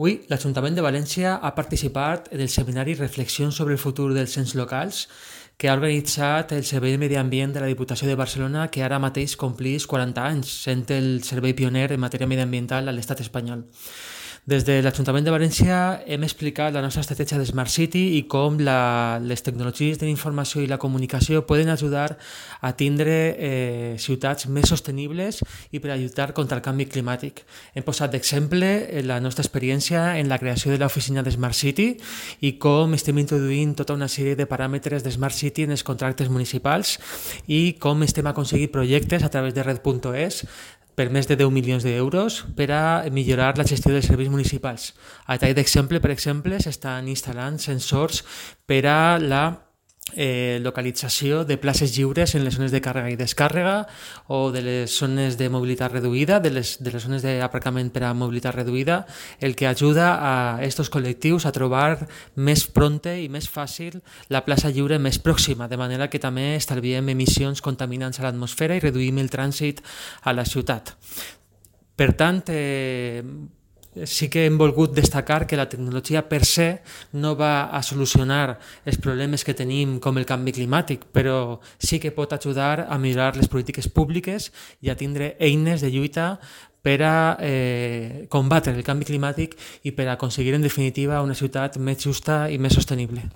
Avui, l'Ajuntament de València ha participat en el seminari Reflexions sobre el futur dels ens locals que ha organitzat el Servei de Medi Ambient de la Diputació de Barcelona, que ara mateix complís 40 anys, sent el servei pioner en matèria mediambiental a l'estat espanyol. Des de l'Ajuntament de València hem explicat la nostra estratègia de Smart City i com les tecnologies de la informació i la comunicació poden ajudar a tindre ciutats més sostenibles i per a lluitar contra el canvi climàtic. Hem posat d'exemple la nostra experiència en la creació de l'oficina de Smart City i com estem introduint tota una sèrie de paràmetres de Smart City en els contractes municipals i com estem aconseguint projectes a través de Red.es per més de 10 milions d'euros per a millorar la gestió dels serveis municipals. A tall d'exemple, per exemple, s'estan instal·lant sensors per a la localització de places lliures en les zones de càrrega i descàrrega o de les zones de mobilitat reduïda, de les zones d'aparcament per a mobilitat reduïda, el que ajuda a aquests col·lectius a trobar més pronte i més fàcil la plaça lliure més pròxima, de manera que també estalviem emissions contaminants a l'atmosfera i reduïm el trànsit a la ciutat. Per tant, sí que hem volgut destacar que la tecnologia per se no va a solucionar els problemes que tenim com el canvi climàtic, però sí que pot ajudar a millorar les polítiques públiques i a tindre eines de lluita per a combatre el canvi climàtic i per a aconseguir en definitiva una ciutat més justa i més sostenible.